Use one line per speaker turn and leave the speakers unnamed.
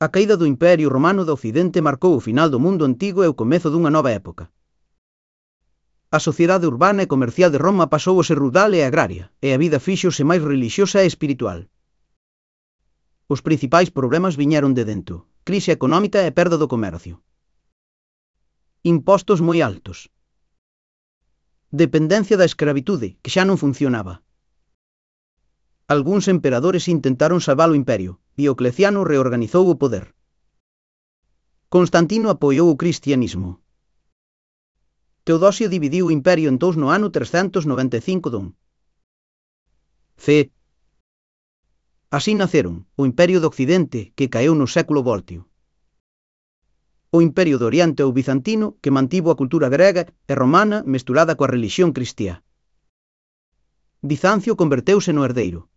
A caída do Imperio Romano do Occidente marcou o final do mundo antigo e o comezo dunha nova época. A sociedade urbana e comercial de Roma pasou a ser rural e agraria, e a vida fíxose máis relixiosa e espiritual. Os principais problemas viñeron de dentro: crise económica e perda do comercio. Impostos moi altos. Dependencia da escravitude, que xa non funcionaba. Algúns emperadores intentaron salvar o imperio. Diocleciano reorganizou o poder. Constantino apoiou o cristianismo. Teodosio dividiu o imperio en dous no ano 395 d. C. Así naceron o Imperio do Occidente, que caeu no século Voltio, o Imperio do Oriente ou Bizantino, que mantivo a cultura grega e romana mesturada coa relixión cristiá. Bizancio converteuse no herdeiro.